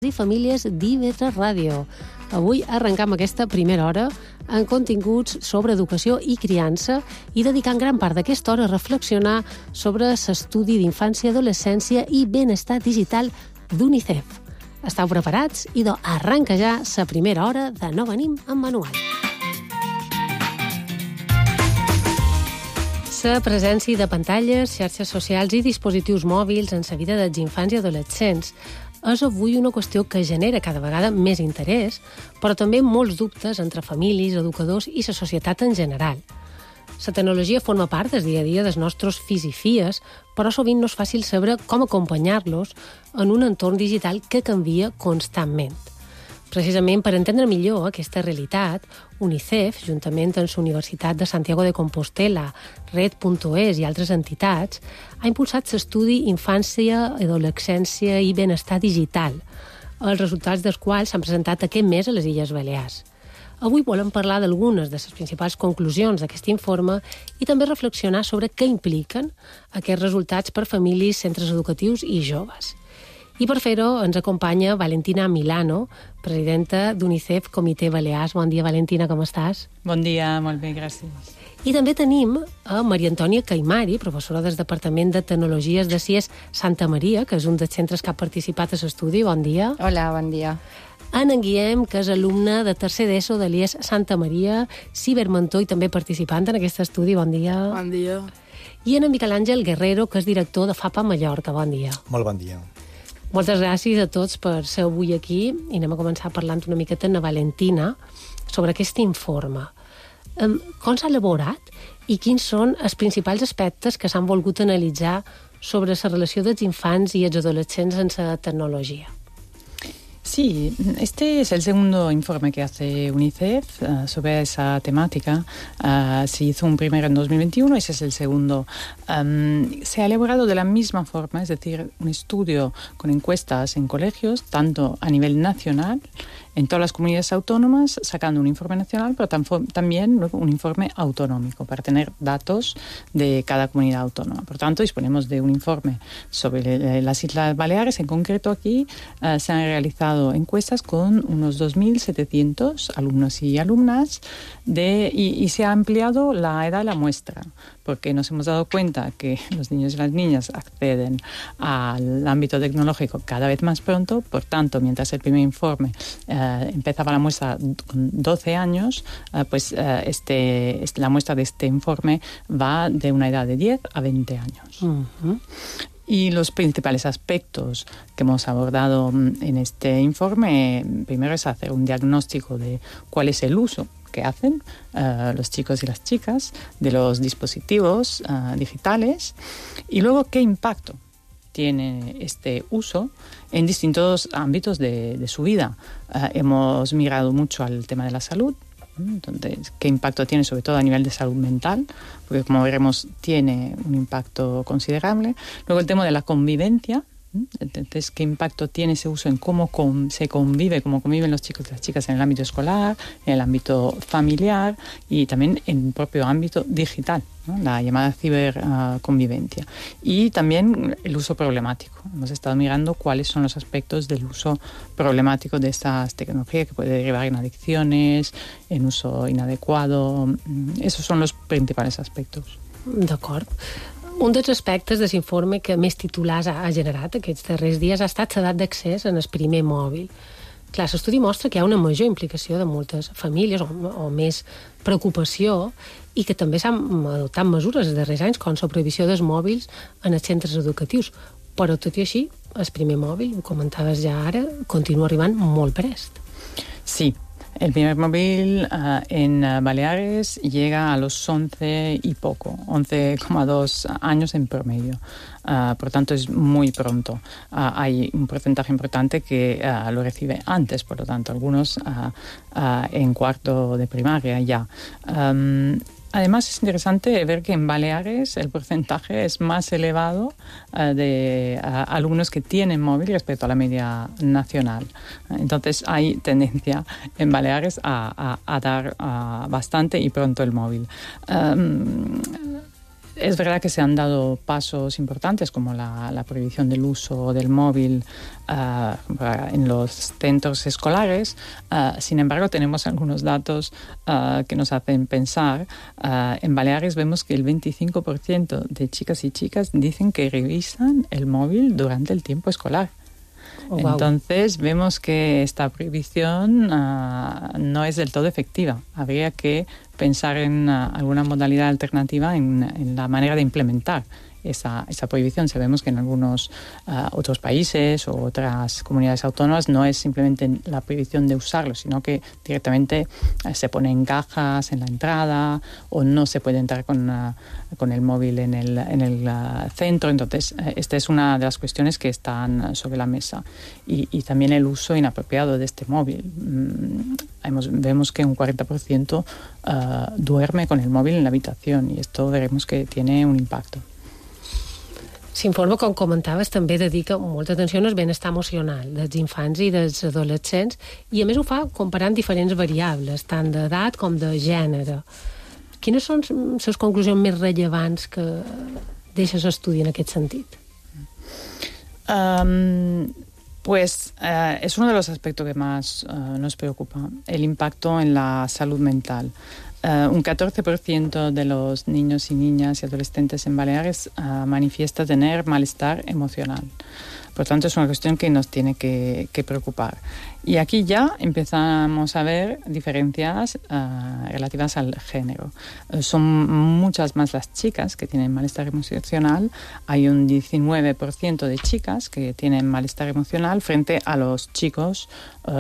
i famílies d'IV3 Ràdio. Avui arrencam aquesta primera hora en continguts sobre educació i criança i dedicant gran part d'aquesta hora a reflexionar sobre l'estudi d'infància, adolescència i benestar digital d'UNICEF. Estau preparats? Idò, arranca ja la primera hora de No venim amb manual. La presència de pantalles, xarxes socials i dispositius mòbils en la vida dels infants i adolescents és avui una qüestió que genera cada vegada més interès, però també molts dubtes entre famílies, educadors i la societat en general. La tecnologia forma part del dia a dia dels nostres fills i filles, però sovint no és fàcil saber com acompanyar-los en un entorn digital que canvia constantment. Precisament per entendre millor aquesta realitat, UNICEF, juntament amb la Universitat de Santiago de Compostela, Red.es i altres entitats, ha impulsat l'estudi Infància, Adolescència i Benestar Digital, els resultats dels quals s'han presentat aquest mes a les Illes Balears. Avui volem parlar d'algunes de les principals conclusions d'aquest informe i també reflexionar sobre què impliquen aquests resultats per famílies, centres educatius i joves. I per fer-ho ens acompanya Valentina Milano, presidenta d'UNICEF Comitè Balears. Bon dia, Valentina, com estàs? Bon dia, molt bé, gràcies. I també tenim a Maria Antònia Caimari, professora del Departament de Tecnologies de CIES Santa Maria, que és un dels centres que ha participat a l'estudi. Bon dia. Hola, bon dia. En Guillem, que és alumne de tercer d'ESO de l'IES Santa Maria, cibermentor i també participant en aquest estudi. Bon dia. Bon dia. I en Miquel Àngel Guerrero, que és director de FAPA Mallorca. Bon dia. Molt bon dia. Moltes gràcies a tots per ser avui aquí i anem a començar parlant una miqueta amb la Valentina sobre aquest informe. Com s'ha elaborat i quins són els principals aspectes que s'han volgut analitzar sobre la relació dels infants i els adolescents en la tecnologia? Sí, este es el segundo informe que hace UNICEF sobre esa temática. Se hizo un primero en 2021, ese es el segundo. Se ha elaborado de la misma forma, es decir, un estudio con encuestas en colegios, tanto a nivel nacional, en todas las comunidades autónomas, sacando un informe nacional, pero también luego un informe autonómico para tener datos de cada comunidad autónoma. Por tanto, disponemos de un informe sobre las Islas Baleares. En concreto, aquí se han realizado encuestas con unos 2.700 alumnos y alumnas y se ha ampliado la edad de la muestra, porque nos hemos dado cuenta que los niños y las niñas acceden al ámbito tecnológico cada vez más pronto. Por tanto, mientras el primer informe empezaba la muestra con 12 años, la muestra de este informe va de una edad de 10 a 20 años. Uh-huh. Y los principales aspectos que hemos abordado en este informe, primero es hacer un diagnóstico de cuál es el uso que hacen los chicos y las chicas de los dispositivos digitales y luego qué impacto tiene este uso en distintos ámbitos de su vida. Hemos mirado mucho al tema de la salud. Entonces, ¿qué impacto tiene sobre todo a nivel de salud mental? Porque como veremos tiene un impacto considerable. Luego el tema de la convivencia. Entonces, ¿qué impacto tiene ese uso en cómo se convive, cómo conviven los chicos y las chicas en el ámbito escolar, en el ámbito familiar y también en el propio ámbito digital, ¿no? La llamada ciberconvivencia. Y también el uso problemático. Hemos estado mirando cuáles son los aspectos del uso problemático de estas tecnologías que puede derivar en adicciones, en uso inadecuado. Esos son los principals aspectos. D'acord. Un dels aspectes de l'informe que més titulars ha generat aquests darrers dies ha estat l'edat d'accés en el primer mòbil. Clar, l'estudi mostra que hi ha una major implicació de moltes famílies o més preocupació i que també s'han adoptat mesures els darrers anys com la prohibició dels mòbils en els centres educatius. Però tot i així, el primer mòbil, ho comentaves ja ara, continua arribant molt prest. Sí. El primer móvil en Baleares llega a los 11 y poco, 11,2 años en promedio. Por tanto, es muy pronto. Hay un porcentaje importante que lo recibe antes, por lo tanto, algunos en cuarto de primaria ya. Además, es interesante ver que en Baleares el porcentaje es más elevado de alumnos que tienen móvil respecto a la media nacional. Entonces, hay tendencia en Baleares a dar bastante y pronto el móvil. Es verdad que se han dado pasos importantes como la prohibición del uso del móvil en los centros escolares. Sin embargo, tenemos algunos datos que nos hacen pensar. En Baleares vemos que el 25% de chicas y chicas dicen que revisan el móvil durante el tiempo escolar. Oh, wow. Entonces vemos que esta prohibición no es del todo efectiva. Habría que pensar en alguna modalidad alternativa en la manera de implementar esa prohibición. Sabemos que en algunos otros países o otras comunidades autónomas no es simplemente la prohibición de usarlo, sino que directamente se ponen cajas en la entrada o no se puede entrar con el móvil en el centro. Entonces, esta es una de las cuestiones que están sobre la mesa. Y también el uso inapropiado de este móvil. Vemos que un 40% duerme con el móvil en la habitación y esto veremos que tiene un impacto. S'informa, com comentaves, també dedica molta atenció al benestar emocional dels infants i dels adolescents i a més ho fa comparant diferents variables, tant d'edat com de gènere. Quines són les conclusions més rellevants que deixes estudi en aquest sentit? Pues es uno de los aspectos que más nos preocupa, el impacto en la salud mental. Un 14% de los niños y niñas y adolescentes en Baleares manifiesta tener malestar emocional. Por tanto, es una cuestión que nos tiene que preocupar. Y aquí ya empezamos a ver diferencias relativas al género. Son muchas más las chicas que tienen malestar emocional. Hay un 19% de chicas que tienen malestar emocional frente a los chicos,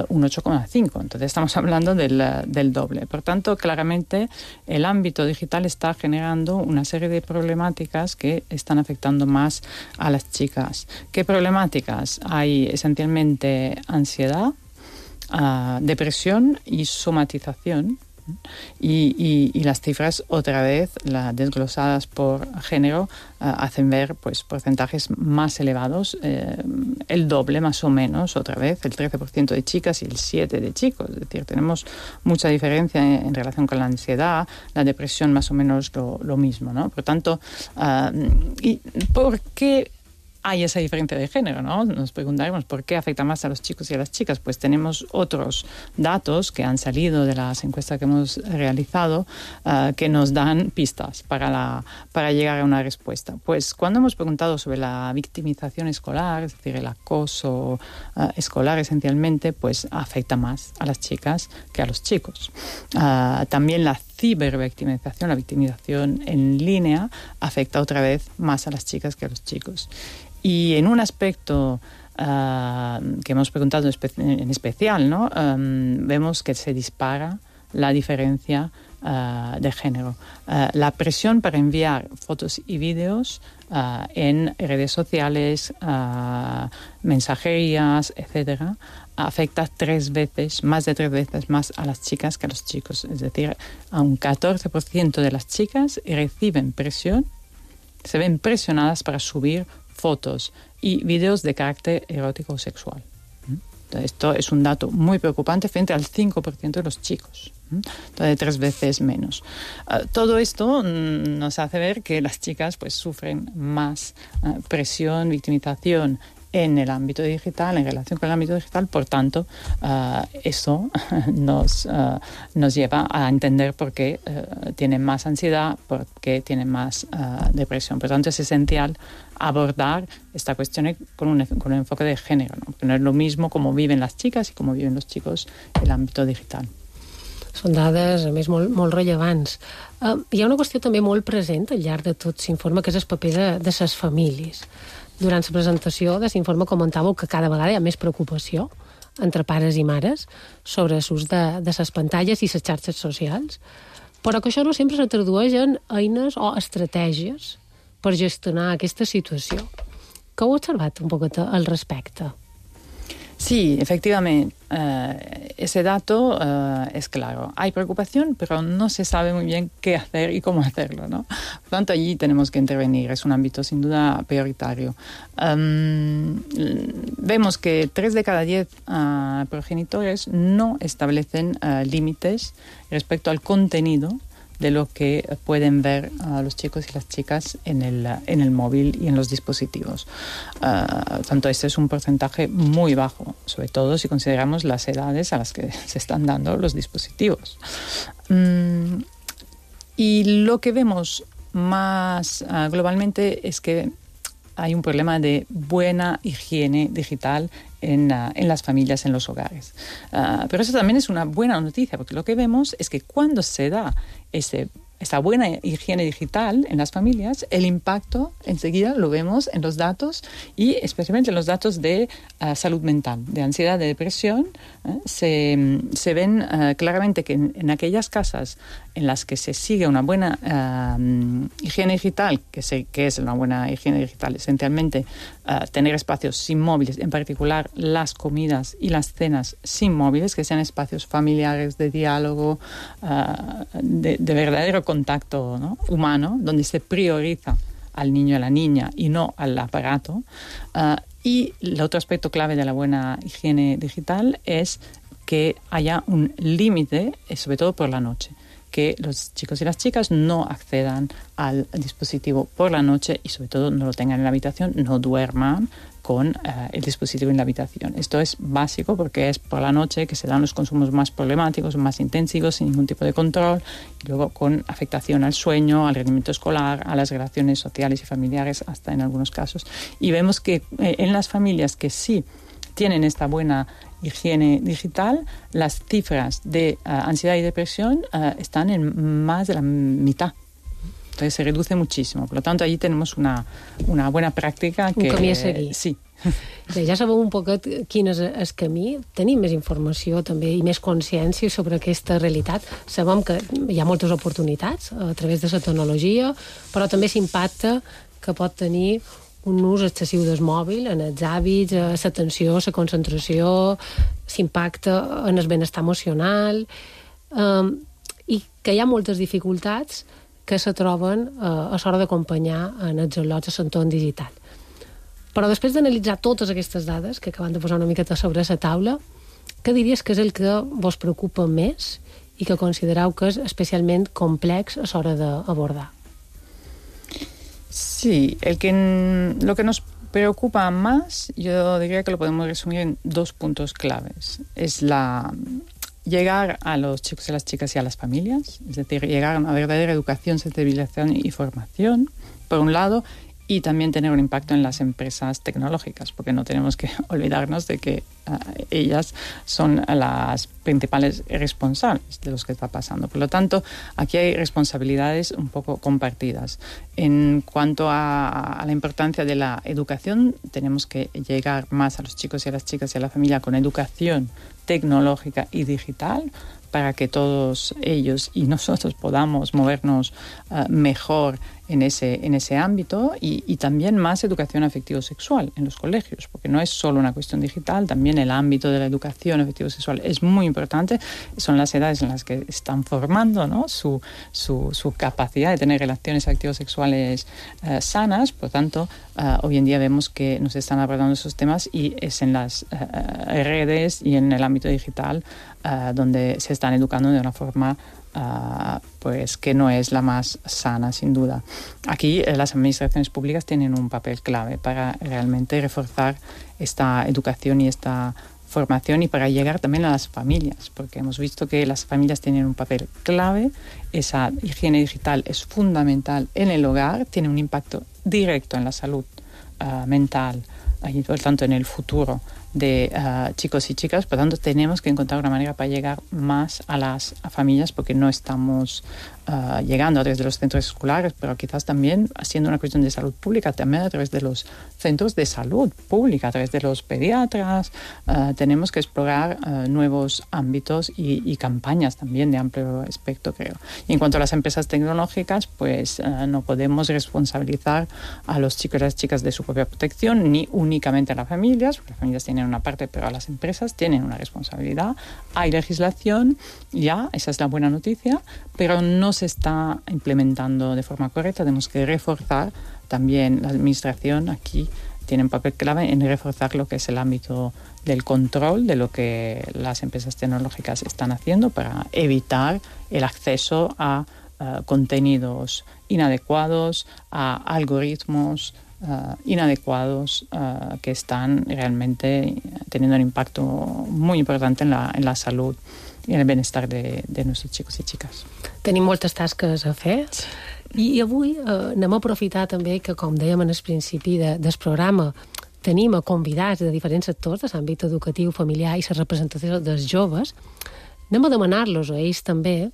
un 8,5%. Entonces estamos hablando del doble. Por tanto, claramente el ámbito digital está generando una serie de problemáticas que están afectando más a las chicas. ¿Qué problemáticas? Hay esencialmente ansiedad, depresión y somatización. Y las cifras, otra vez, desglosadas por género, hacen ver pues porcentajes más elevados, el doble más o menos, otra vez, el 13% de chicas y el 7% de chicos. Es decir, tenemos mucha diferencia en relación con la ansiedad, la depresión más o menos lo mismo, ¿no? Por tanto, ¿y por qué hay esa diferencia de género, ¿no? Nos preguntaremos por qué afecta más a los chicos y a las chicas. Pues tenemos otros datos que han salido de las encuestas que hemos realizado que nos dan pistas para llegar a una respuesta. Pues cuando hemos preguntado sobre la victimización escolar, es decir, el acoso escolar esencialmente, pues afecta más a las chicas que a los chicos. También la cibervictimización, la victimización en línea, afecta otra vez más a las chicas que a los chicos. Y en un aspecto que hemos preguntado en especial, ¿no? Vemos que se dispara la diferencia de género. La presión para enviar fotos y vídeos en redes sociales, mensajerías, etcétera, afecta más de 3 veces más a las chicas que a los chicos. Es decir, a un 14% de las chicas reciben presión, se ven presionadas para subir fotos y vídeos de carácter erótico o sexual. Entonces, esto es un dato muy preocupante frente al 5% de los chicos. Entonces, 3 veces menos. Todo esto nos hace ver que las chicas pues sufren más presión, victimización en el ámbito digital, en relación con el ámbito digital. Por tanto, eso nos lleva a entender por qué tienen más ansiedad, por qué tienen más depresión. Por tanto, es esencial abordar esta cuestión con un enfoque de género, ¿no? Porque no es lo mismo cómo viven las chicas y cómo viven los chicos en el àmbit digital. Són dades, a més, molt rellevants. Hi ha una qüestió també molt present al llarg de tot s'informa, que és el paper de les famílies. Durant la presentació de s'informa comentàveu que cada vegada hi ha més preocupació entre pares i mares sobre l'ús de les pantalles i les xarxes socials, però que això no sempre se tradueix en eines o estratègies per gestionar aquesta situació. ¿Qué heu observat un poquet al respecte? Sí, efectivamente, ese dato es claro. Hay preocupación, pero no se sabe muy bien qué hacer y cómo hacerlo, ¿no? Por tanto, allí tenemos que intervenir. Es un ámbito sin duda prioritario. Vemos que 3 de cada 10 progenitores no establecen límites respecto al contenido de lo que pueden ver los chicos y las chicas en el móvil y en los dispositivos. Tanto este es un porcentaje muy bajo, sobre todo si consideramos las edades a las que se están dando los dispositivos. Y lo que vemos más globalmente es que hay un problema de buena higiene digital en las familias, en los hogares. Pero eso también es una buena noticia, porque lo que vemos es que cuando se da esta buena higiene digital en las familias, el impacto enseguida lo vemos en los datos y especialmente en los datos de salud mental, de ansiedad, de depresión. Se ven claramente que en aquellas casas en las que se sigue una buena higiene digital, que es una buena higiene digital, esencialmente tener espacios sin móviles, en particular las comidas y las cenas sin móviles, que sean espacios familiares de diálogo, de verdadero contacto, ¿no?, humano, donde se prioriza al niño y a la niña y no al aparato. Y el otro aspecto clave de la buena higiene digital es que haya un límite, sobre todo por la noche, que los chicos y las chicas no accedan al dispositivo por la noche y sobre todo no lo tengan en la habitación, no duerman con el dispositivo en la habitación. Esto es básico porque es por la noche que se dan los consumos más problemáticos, más intensivos, sin ningún tipo de control, y luego con afectación al sueño, al rendimiento escolar, a las relaciones sociales y familiares, hasta en algunos casos. Y vemos que en las familias que sí tienen esta buena higiene digital, las cifras de ansiedad y depresión están en más de la mitad. Entonces se reduce muchísimo. Per tant, allí tenemos una buena pràctica que... Un camí a seguir. Sí. Bé, ja sabeu un poquet quin és el camí. Tenim més informació també i més consciència sobre aquesta realitat. Sabem que hi ha moltes oportunitats a través de la tecnologia, però també l'impacte que pot tenir un ús excessiu del mòbil en els hàbits, l'atenció, la concentració, l'impacte en el benestar emocional, i que hi ha moltes dificultats que se troben a l'hora d'acompanyar en els al·lots a l'entorn digital. Però després d'analitzar totes aquestes dades que acabem de posar una miqueta sobre la taula, què diries que és el que vos preocupa més i que considereu que és especialment complex a l'hora d'abordar? Sí, lo que nos preocupa más, yo diría que lo podemos resumir en 2 puntos claves. Es llegar a los chicos y las chicas y a las familias, es decir, llegar a una verdadera educación, sensibilización y formación, por un lado, y también tener un impacto en las empresas tecnológicas, porque no tenemos que olvidarnos de que ellas son las principales responsables de lo que está pasando. Por lo tanto, aquí hay responsabilidades un poco compartidas. En cuanto a la importancia de la educación, tenemos que llegar más a los chicos y a las chicas y a la familia con educación tecnológica y digital, para que todos ellos y nosotros podamos movernos mejor en ese ámbito, y también más educación afectivo-sexual en los colegios, porque no es solo una cuestión digital, también el ámbito de la educación afectivo-sexual es muy importante. Son las edades en las que están formando, ¿no?, su capacidad de tener relaciones afectivo-sexuales sanas. Por tanto, hoy en día vemos que nos están abordando esos temas y es en las redes y en el ámbito digital donde se están educando de una forma pues que no es la más sana, sin duda. Aquí las administraciones públicas tienen un papel clave para realmente reforzar esta educación y esta formación, y para llegar también a las familias, porque hemos visto que las familias tienen un papel clave. Esa higiene digital es fundamental en el hogar, tiene un impacto directo en la salud mental y por tanto en el futuro de chicos y chicas. Por tanto, tenemos que encontrar una manera para llegar más a las familias, porque no estamos llegando a través de los centros escolares, pero quizás también siendo una cuestión de salud pública, también a través de los centros de salud pública, a través de los pediatras. Tenemos que explorar nuevos ámbitos y campañas también de amplio espectro, creo. Y en cuanto a las empresas tecnológicas, pues no podemos responsabilizar a los chicos y las chicas de su propia protección, ni únicamente a las familias, porque las familias tienen una parte, pero las empresas tienen una responsabilidad. Hay legislación, ya, esa es la buena noticia, pero no se está implementando de forma correcta. Tenemos que reforzar también la administración. Aquí tiene un papel clave en reforzar lo que es el ámbito del control de lo que las empresas tecnológicas están haciendo para evitar el acceso a contenidos inadecuados, a algoritmos inadecuados que están realmente teniendo un impacto muy importante en la salud i en el benestar de nuestros chicos i xiques. Tenim moltes tasques a fer i avui anem a aprofitar també que, com dèiem en el principi del programa, tenim a convidats de diferents sectors de l'àmbit educatiu, familiar i la representació dels joves. Anem a demanar-los a ells també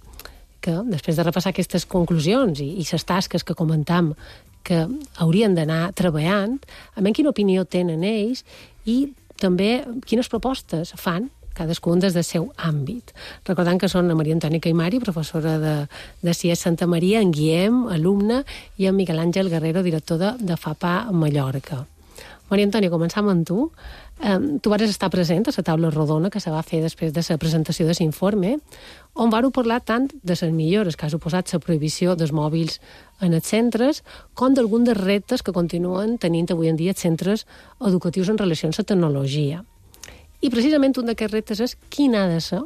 que, després de repassar aquestes conclusions i les tasques que comentam que haurien d'anar treballant, a veure quina opinió tenen ells i també quines propostes fan cadascun des del seu àmbit. Recordant que són la Maria Antònia Caimari, professora de CIES Santa Maria, en Guillem, alumne, i en Miguel Àngel Guerrero, director de FAPA Mallorca. Maria Antònia, començam amb tu. Tu vas estar present a la taula rodona que se va fer després de la presentació de l'informe, on vau parlar tant de les millores que ha suposat la prohibició dels mòbils en els centres, com d'alguns dels reptes que continuen tenint avui en dia els centres educatius en relació amb la tecnologia. I precisament un d'aquests reptes és quin ha de ser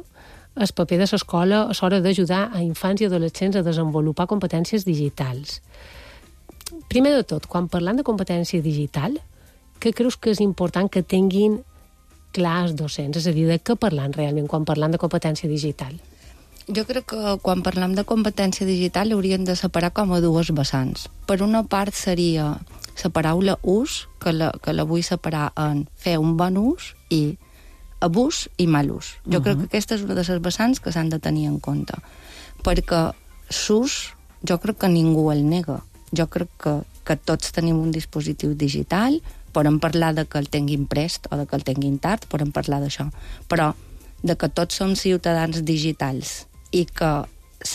el paper de l'escola a l'hora d'ajudar a infants i adolescents a desenvolupar competències digitals. Primer de tot, quan parlant de competència digital, què creus que és important que tinguin clar els docents? És a dir, de què parlant realment quan parlant de competència digital? Jo crec que quan parlem de competència digital hauríem de separar com a dues vessants. Per una part seria la paraula ús, que la vull separar en fer un bon ús i abús i mal ús. Jo crec que aquesta és una de les vessants que s'han de tenir en compte. Perquè l'ús, jo crec que ningú el nega. Jo crec que tots tenim un dispositiu digital, podem parlar de que el tinguin prest o de que el tinguin tard, podem parlar d'això. Però de que tots som ciutadans digitals i que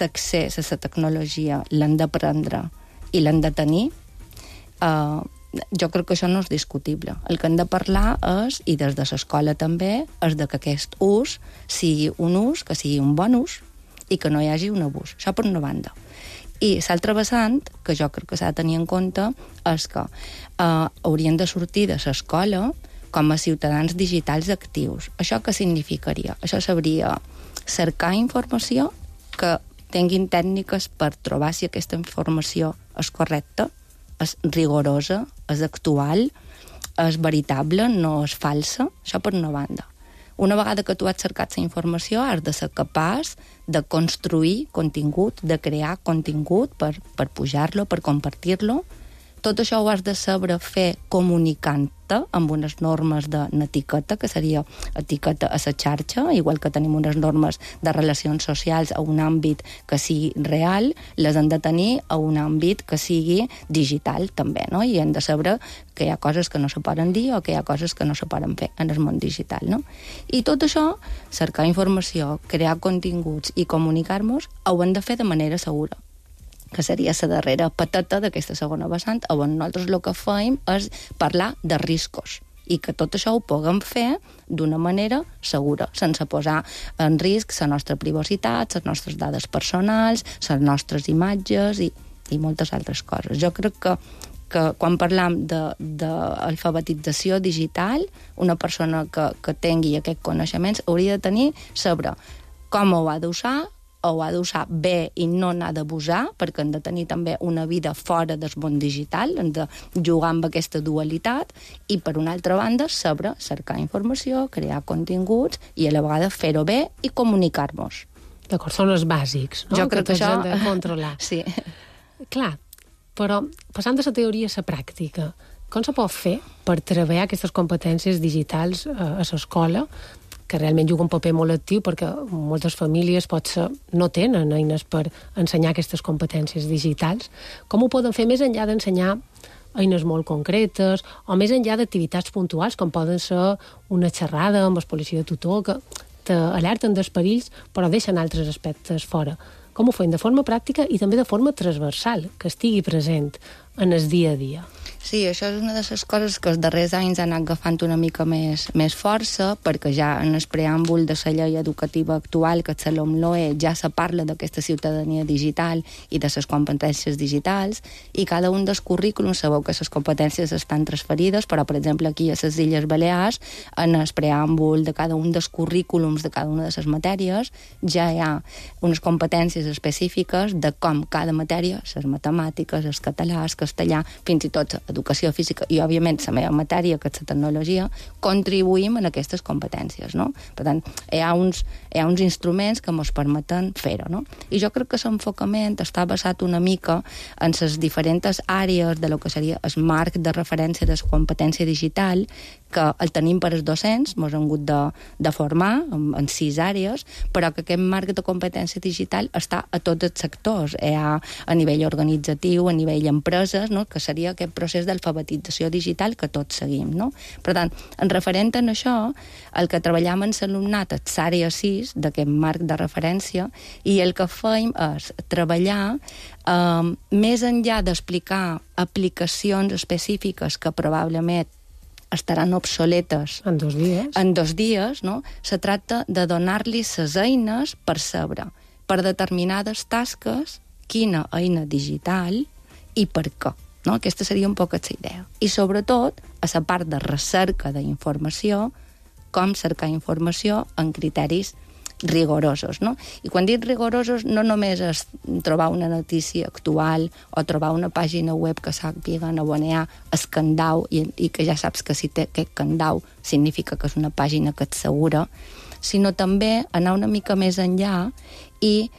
l'accés a la tecnologia l'hem d'aprendre i l'hem de tenir, jo crec que això no és discutible. El que hem de parlar és, i des de l'escola també, és de que aquest ús sigui un ús, que sigui un bon ús, i que no hi hagi un abús. Això per una banda. I l'altra vessant, que jo crec que s'ha de tenir en compte, és que haurien de sortir de l'escola com a ciutadans digitals actius. Això què significaria? Això sabria cercar informació, que tinguin tècniques per trobar si aquesta informació és correcta, és rigorosa, és actual, és veritable, no és falsa. Això per una banda. Una vegada que tu has cercat la informació, has de ser capaç de construir contingut, de crear contingut per pujar-lo, per compartir-lo. Tot això ho has de saber fer comunicant-te amb unes normes de netiqueta, que seria etiqueta a la xarxa, igual que tenim unes normes de relacions socials a un àmbit que sigui real, les hem de tenir a un àmbit que sigui digital també, no? I hem de saber que hi ha coses que no se poden dir o que hi ha coses que no se poden fer en el món digital, no? I tot això, cercar informació, crear continguts i comunicar-nos, ho hem de fer de manera segura, que seria la darrera patata d'aquesta segona vessant, on nosaltres el que fem és parlar de riscos i que tot això ho puguem fer d'una manera segura, sense posar en risc la nostra privacitat, les nostres dades personals, les nostres imatges i moltes altres coses. Jo crec que quan parlam d'alfabetització digital, una persona que tingui aquests coneixements hauria de saber com ho ha d'usar, ho ha d'usar bé i no n'ha d'abusar, perquè hem de tenir també una vida fora del món digital, hem de jugar amb aquesta dualitat, i per una altra banda saber cercar informació, crear continguts i a la vegada fer-ho bé i comunicar-nos. D'acord, són els bàsics, no? Jo crec que això... hem de controlar. Sí. Clar, però passant de la teoria a la pràctica, com se pot fer per treballar aquestes competències digitals a l'escola, que realment juga un paper molt actiu perquè moltes famílies potser no tenen eines per ensenyar aquestes competències digitals. Com ho poden fer més enllà d'ensenyar eines molt concretes o més enllà d'activitats puntuals com poden ser una xerrada amb el policia de tutor que t'alerten dels perills però deixen altres aspectes fora? Com ho fem de forma pràctica i també de forma transversal, que estigui present en el dia a dia? Sí, això és una de les coses que els darrers anys han anat agafant una mica més força, perquè ja en el preàmbul de la llei educativa actual, que és la LOMLOE, ja se parla d'aquesta ciutadania digital i de les competències digitals, i cada un dels currículums sabeu que les competències estan transferides, però, per exemple, aquí a les Illes Balears, en el preàmbul de cada un dels currículums de cada una de les matèries, ja hi ha unes competències específiques de com cada matèria, les matemàtiques, el català, el castellà, fins i tot educació física i, òbviament, la meva matèria, que és la tecnologia, contribuïm en aquestes competències, no? Per tant, hi ha uns instruments que ens permeten fer-ho, no? I jo crec que l'enfocament està basat una mica en les diferents àrees de lo que seria el marc de referència de la competència digital, que el tenim per als docents, ens hem hagut de formar en 6 àrees, però que aquest marc de competència digital està a tots els sectors. Hi ha a nivell organitzatiu, a nivell empreses, no? Que seria aquest procés d'alfabetització digital que tots seguim, no? Per tant, en referent a això, el que treballem en l'alumnat és l'àrea 6 d'aquest marc de referència, i el que fem és treballar més enllà d'explicar aplicacions específiques que probablement estaran obsoletes en 2 dies. En 2 dies, no? Se tracta de donar-li les eines per saber, per determinades tasques, quina eina digital i per què. No? Aquesta seria un poc la idea. I, sobretot, a la part de recerca d'informació, com cercar informació en criteris rigorosos, no? I quan dic rigorosos no només és trobar una notícia actual o trobar una pàgina web que sàpiga on hi ha el candau i que ja saps que si té aquest candau significa que és una pàgina que et segura, sinó també anar una mica més enllà i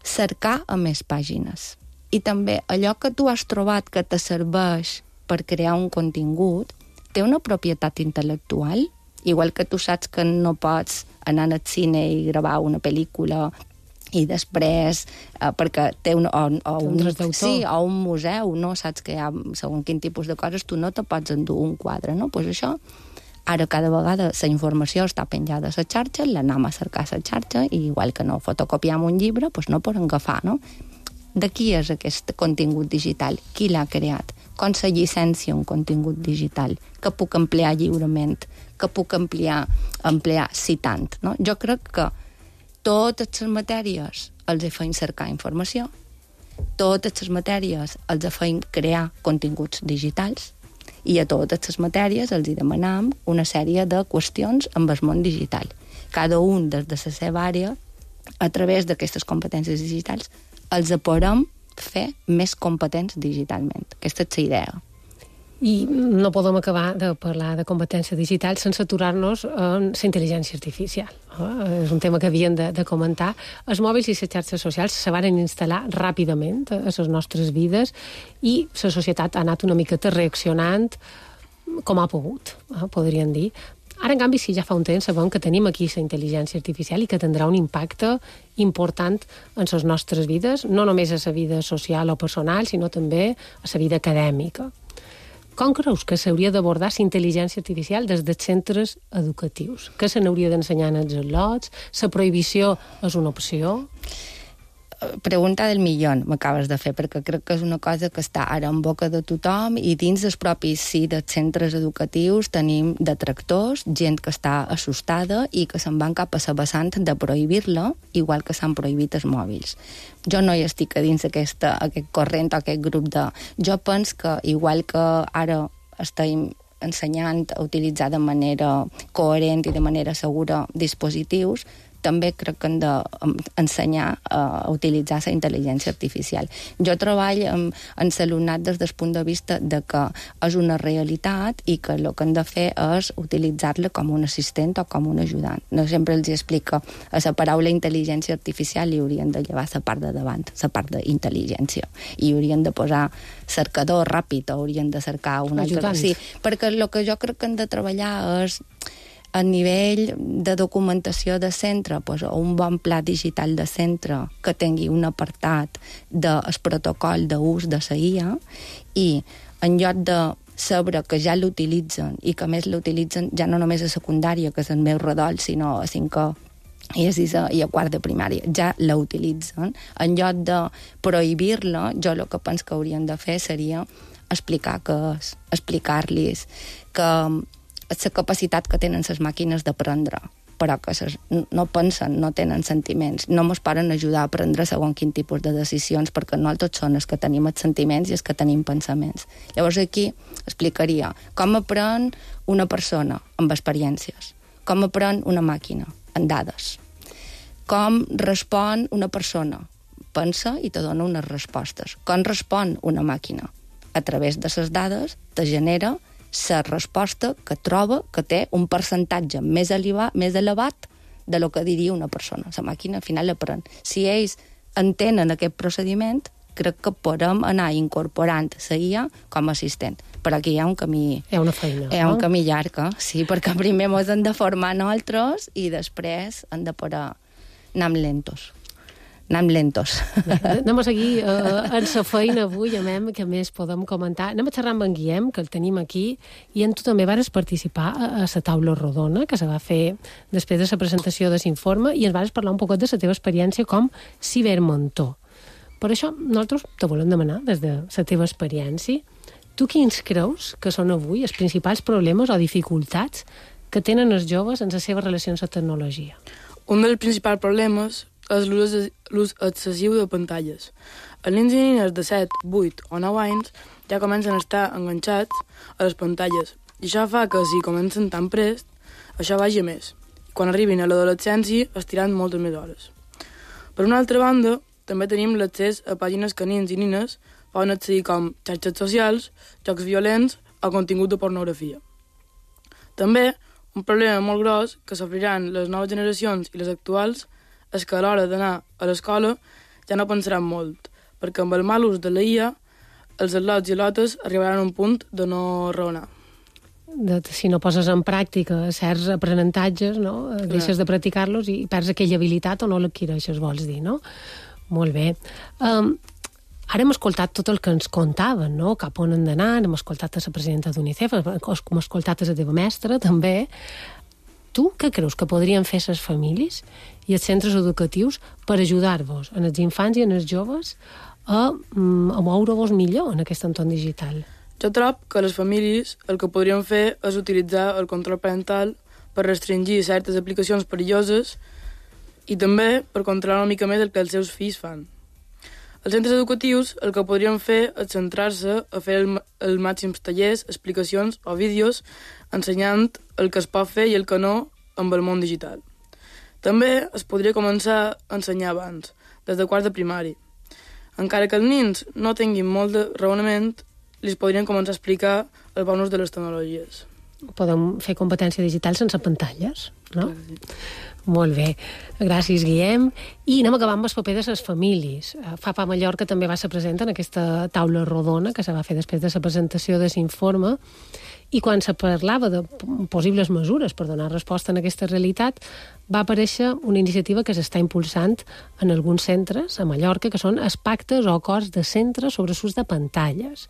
cercar a més pàgines. I també allò que tu has trobat que te serveix per crear un contingut té una propietat intel·lectual, igual que tu saps que no pots anar al cine i gravar una pel·lícula i després, perquè té un museu, no? Saps que hi ha segons quin tipus de coses, tu no te pots endur un quadre, no? Pues això, ara cada vegada la informació està penjada a la xarxa, l'anem a cercar a la xarxa, i igual que no fotocopiam un llibre, pues no podem agafar, no? De qui és aquest contingut digital? Qui l'ha creat? Com se llicència un contingut digital? Que puc emplear lliurement? Que puc emplear citant? No? Jo crec que totes les matèries els feim cercar informació, totes les matèries els feim crear continguts digitals, i a totes les matèries els demanam una sèrie de qüestions amb el món digital. Cada un des de la seva àrea, a través d'aquestes competències digitals, els podem fer més competents digitalment. Aquesta és la idea. I no podem acabar de parlar de competència digital sense aturar-nos en la intel·ligència artificial. És un tema que havíem de comentar. Els mòbils i les xarxes socials se van instal·lar ràpidament a les nostres vides i la societat ha anat una miqueta reaccionant com ha pogut, podríem dir. Ara, en canvi, sí, ja fa un temps sabem que tenim aquí la intel·ligència artificial i que tindrà un impacte important en les nostres vides, no només a la vida social o personal, sinó també a la vida acadèmica. Com creus que s'hauria d'abordar la intel·ligència artificial des dels centres educatius? Que se n'hauria d'ensenyar als al·lots? La prohibició és una opció? Pregunta del millón m'acabes de fer, perquè crec que és una cosa que està ara en boca de tothom, i dins dels propis dels centres educatius tenim detractors, gent que està assustada i que se'n van cap a la vessant de prohibir-la, igual que s'han prohibit els mòbils. Jo no hi estic a dins aquest corrent o aquest grup de... Jo penso que, igual que ara estem ensenyant a utilitzar de manera coherent i de manera segura dispositius, també crec que hem d'ensenyar a utilitzar la intel·ligència artificial. Jo treballo en l'alumnat des del punt de vista de que és una realitat i que el que hem de fer és utilitzar-la com un assistent o com un ajudant. No sempre els explico a la paraula intel·ligència artificial i haurien de llevar la part de davant, la part d'intel·ligència. I haurien de posar cercador ràpid o haurien de cercar un altre... Sí, perquè el que jo crec que hem de treballar és a nivell de documentació de centre, doncs, un bon pla digital de centre que tingui un apartat del protocol d'ús de la IA, i en lloc de saber que ja l'utilitzen i que més l'utilitzen ja no només a secundària, que és el meu redol, sinó a 5è i a 6è i a 4è de primària, ja la utilitzen. En lloc de prohibir-la, jo el que penso que hauríem de fer seria explicar què és, explicar-los que la capacitat que tenen les màquines d'aprendre, però que no pensen, no tenen sentiments, no ens poden ajudar a prendre segons quin tipus de decisions, perquè nosaltres són els que tenim els sentiments i els que tenim pensaments. Llavors aquí explicaria com aprèn una persona amb experiències, com aprèn una màquina amb dades, com respon una persona, pensa i te dona unes respostes, com respon una màquina. A través de les dades te genera la resposta que troba que té un percentatge més elevat de lo que diria una persona. La màquina al final aprèn. Si ells entenen aquest procediment, crec que podem anar incorporant la IA com a assistent. Però aquí hi ha un camí... Hi ha una feina. Hi ha un camí llarg, sí, perquè primer ens hem de formar nosaltres i després hem de poder anar lentos. Anem a seguir en la feina avui, que més podem comentar. Anem a xerrar amb en Guillem, que el tenim aquí, i tu també vas participar a la taula rodona, que se va fer després de la presentació de l'informe, i ens vas parlar un poc de la teva experiència com cibermentor. Per això, nosaltres te volem demanar, des de la teva experiència, tu quins creus que són avui els principals problemes o dificultats que tenen els joves en les seves relacions amb la tecnologia? Un dels principals problemes és l'ús excessiu de pantalles. Els nens i nines de 7, 8 o 9 anys ja comencen a estar enganxats a les pantalles i això fa que, si comencen tan prest, això vagi a més. Quan arribin a l'adolescència estiran moltes més hores. Per una altra banda, també tenim l'accés a pàgines que nens i nines poden accedir com xarxes socials, jocs violents o contingut de pornografia. També, un problema molt gros que sofriran les noves generacions i les actuals és que a l'hora d'anar a l'escola ja no pensaran molt, perquè amb el mal ús de la IA els al·lots i al·lotes arribaran a un punt de no raonar. Si no poses en pràctica certs aprenentatges, no? Deixes de practicar-los i perds aquella habilitat o no l'adquireixes, vols dir, no? Molt bé. Ara hem escoltat tot el que ens contaven, no? Cap on han d'anar, hem escoltat a la presidenta d'UNICEF, hem escoltat a la teva mestra, també. Tu què creus que podrien fer les famílies i els centres educatius per ajudar-vos, en els infants i en els joves, a moure-vos millor en aquest entorn digital? Jo trobo que les famílies el que podrien fer és utilitzar el control parental per restringir certes aplicacions perilloses i també per controlar una mica més el que els seus fills fan. Els centres educatius el que podrien fer és centrar-se a fer els màxims tallers, explicacions o vídeos ensenyant el que es pot fer i el que no amb el món digital. També es podria començar a ensenyar abans, des de quart de primari. Encara que els nens no tinguin molt de raonament, li podrien començar a explicar els bons ús de les tecnologies. Podem fer competència digital sense pantalles, no? Molt bé. Gràcies, Guillem. I anem acabant amb el paper de les famílies. FAPA Mallorca també va ser present en aquesta taula rodona que se va fer després de la presentació de l'informe, i quan se parlava de possibles mesures per donar resposta a aquesta realitat, va aparèixer una iniciativa que s'està impulsant en alguns centres a Mallorca, que són els pactes o acords de centres sobre l'ús de pantalles.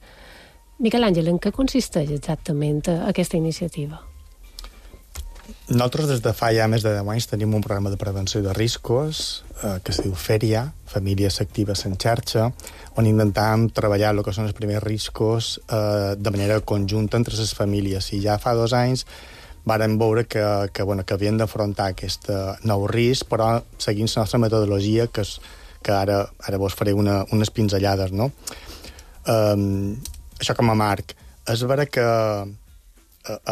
Miquel Àngel, en què consisteix exactament aquesta iniciativa? Nosaltres des de fa ja més de 10 anys tenim un programa de prevenció de riscos que es diu FERIA, Famílies Actives en Xarxa, on intentem treballar el que són els primers riscos de manera conjunta entre les famílies. I ja fa 2 anys vàrem veure que havien d'afrontar aquest nou risc, però seguint la nostra metodologia, que ara vos faré unes pinzellades, no? Això com a marc. És vera que